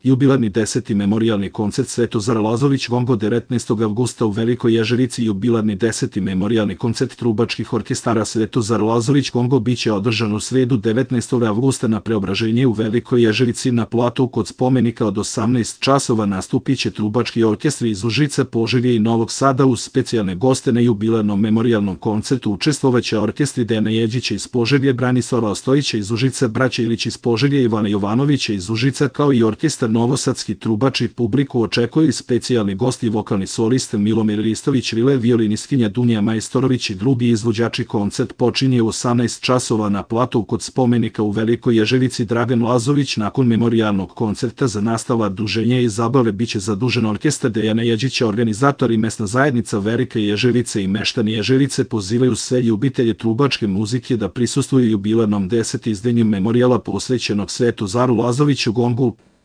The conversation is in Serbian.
Jubilarni 10. memorijalni koncert Svetozar Lazović Gongo 19. avgusta u Velikoj Ježevici. Jubilarni 10. memorijalni koncert trubačkih orkestara Svetozar Lazović Gongo biće održan u sredu 19. avgusta na Preobraženje u Velikoj Ježevici na platu kod spomenika. Od 18 časova nastupiće trubački orkestri iz Užica, Požege i Novog Sada. Uz specijalne goste na jubilarnom memorijalnom koncertu učestvovaće orkestri Dejana Jeđića iz Požege, Branislava Ostojića iz Užica, braća Ilić iz Požege, Ivana Jovanovića iz Užica, kao i orkestar Novosadski trubači. Publiku očekuju i specijalni gosti, vokalni solist Milomir Ristović Rile, violinistkinja Dunja Majstorović i drugi izvođači. Koncert počinje u 18 časova na platu kod spomenika u Velikoj Ježevici. Dragan Lazović. Nakon memorijalnog koncerta za nastavak druženja i zabave biće zadužen orkestar Dejana Jeđića. Organizatori mesna zajednica Velika Ježevica i meštani Ježevice pozivaju sve ljubitelje trubačke muzike da prisustvuju jubilarnom 10. izdanju memorijala posvećenog Svetozaru Lazoviću Gongu.